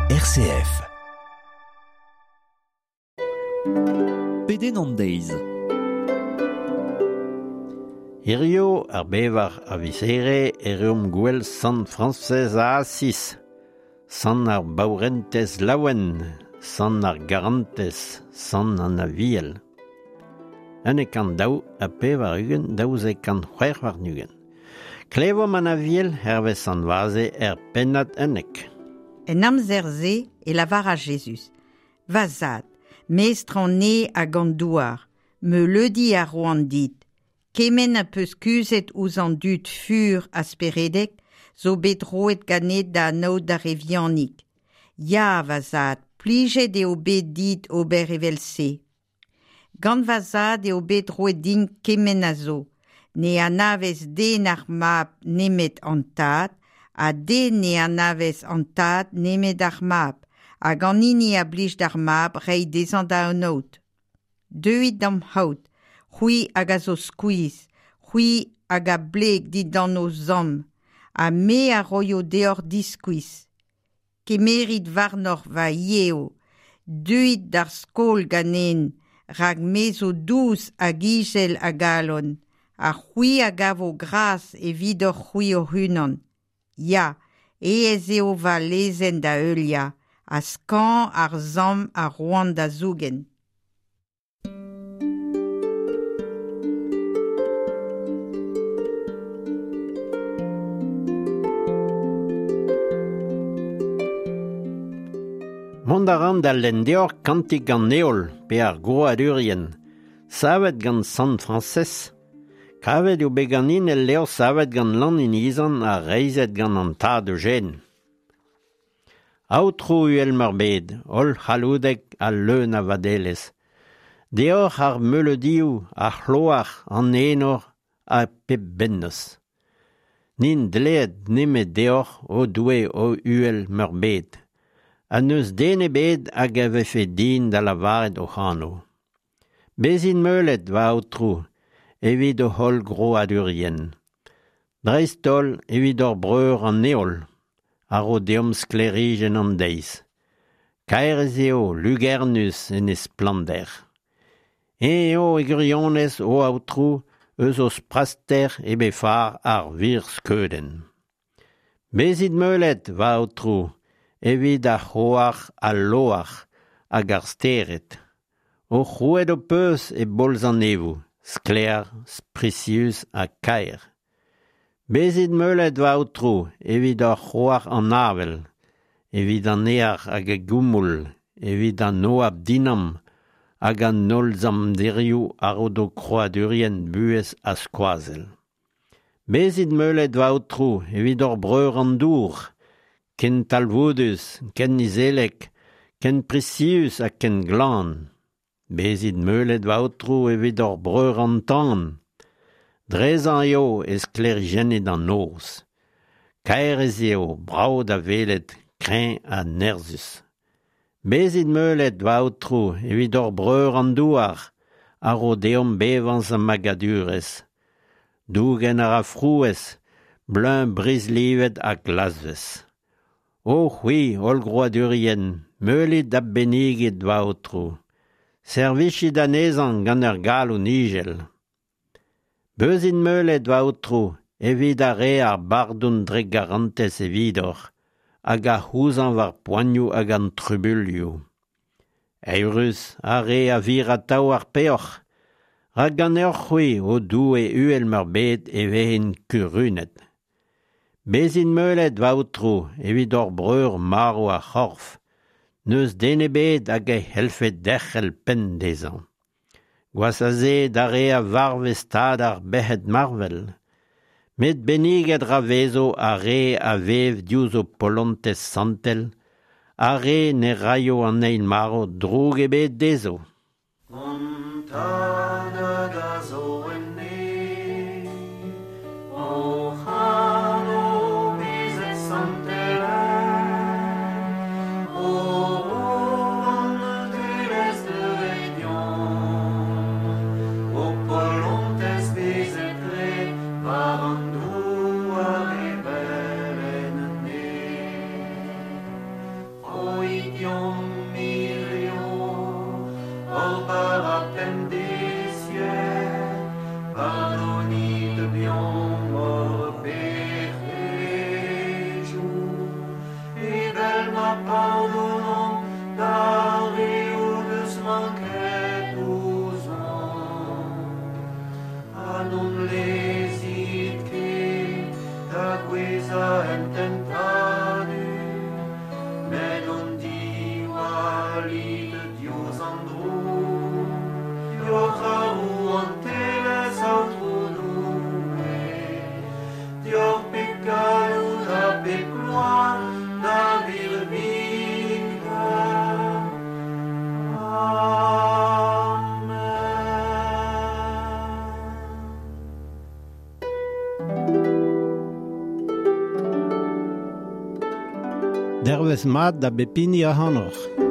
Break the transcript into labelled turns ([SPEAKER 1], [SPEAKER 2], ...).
[SPEAKER 1] RCF.
[SPEAKER 2] Pedenn an deiz.
[SPEAKER 3] Hirio ar bevar a viz here e reomp gwell Sant Frañsez a Asiz, Sant ar baourentez laouen, Sant ar garantez, Sant an Aviel. 142 226. Klevomp an Aviel hervez Sant Vaze er pennad 11.
[SPEAKER 4] En amzer-se e lavara Jezuz. Va zad, mestr an neñv hag an douar, meuleudi a roan dit. Kement a peus kuzhet ouzh an dud fur ha speredek zo bet roet ganit da anaout d'ar re vihanik. Ya, va zad, plijet eo bet dit ober evel-se. Gant va zad eo bet roet din kement a zo. Ne anavez den ar mab nemet an tad, ha den ne anavez an tad nemet ar mab, hag an hini a blij d'ar mab reiñ dezhañ da anaout. Deuit d'am c'haout, c'hwi hag a zo skuizh, c'hwi hag a bleg dindan ho samm, ha me a roio deoc'h diskuizh. Kemerit warnoc'h va yev, deuit d'ar skol ganen, rak me zo dous hag izel a galon, ha c'hwi a gavo gras evidoc'h-c'hwi hoc'h-unan. Ya, aes eo va lezenn da heuliañ, ha skañv ar samm a roan da zougen.
[SPEAKER 3] Mont a ran da lenn deoc'h kantik an heol pe ar grouadurien, savet gant Sant Frañsez. Kavet eo bet ganin el levr savet gant Lan Inizan ha reizhet gant an tad Eugène. Aotrou uhel-meurbet, holl-c'halloudek ha leun a vadelezh, deoc'h ar meuleudioù, ar c'hloar, an enor ha pep bennozh. N'int dleet nemet deoc'h, o Doue, o uhel-meurbet, ha n'eus den ebet hag a vefe din da lavaret hoc'h anv. Bezit meulet, va Aotrou, evit hoc'h holl grouadurien. Dreist-holl evit hor breur an heol, a ro deomp sklêrijenn an deiz. Kaer ez eo, lugernus en e splannder. Eñ eo e gwirionez, o Aotrou, eus ho spraster e befar ar wir skeudenn. Bezit meulet, va Aotrou, evit ar c'hoar, al loar hag ar stered. O c'hrouet ho peus e bolz an neñvoù, sklaer, sprisius ha kaer. Bezit meulet, va Aotrou, evit hor c'hoar an avel, evit an ear hag e goumoul, evit an oabl dinamm hag an holl zamderioù a ro d'ho krouadurien buhez ha skoazell. Bezit meulet, va Aotrou, evit hor breur an dour, ken talvoudus, ken izelek, ken prisius ha ken glan. Bezit meulet, va Aotrou, evit hor breur an tan. Drezañ eo e sklêrijennit an noz. Kaer ez eo, brav da welet, kreñv ha nerzhus. Bezit meulet, va Aotrou, evit hor breur an douar, a ro deomp bevañs ha magadurezh. Dougen a ra frouezh, bleuñv brizhlivet ha glasvez. O c'hwi, holl grouadurien, meulit ha bennigit va Aotrou. Servijit anezhañ gant ur galon ijel. Bezit meulet, va Aotrou, evit ar re ar bardon dre garantez evidoc'h, hag a c'houzañv ar poanioù hag an trubuilhoù. Eürus ar re a vir atav ar peoc'h, rak ganeoc'h-c'hwi, o Doue uhel-meurbet, e vezint kurunet. Bezit meulet, va Aotrou, evit hor breur marv ar c'horf, n'eus den ebet hag e c'hellfe derc'hel penn dezhañ. Gwazh a se d'ar re a varv e stad ar bec'hed marvel. Met benniget ra vezo ar re a vev diouzh ho polontez santel, ar re ne raio an eil marv droug ebet dezho.
[SPEAKER 5] An Tad hag a zo en neñv, hoc'h anv bezet santelaet, ho rouantelezh deuet deomp, ho polontez bezet graet war an douar evel en neñv. deomp hirio hor bara pemdeziek, pardonit deomp hor pec'hejoù, evel ma pardonomp d'ar re o deus manket ouzhomp. Ha n'hon lezit ket da gouezhañ en tentadur, met hon diwallit diouzh an droug, deoc'h ar rouantelezh, Aotrou Doue, deoc'h pep galloud ha pep gloar da virviken. Amen.
[SPEAKER 3] Dervezh mat da bep hini ac'hanoc'h.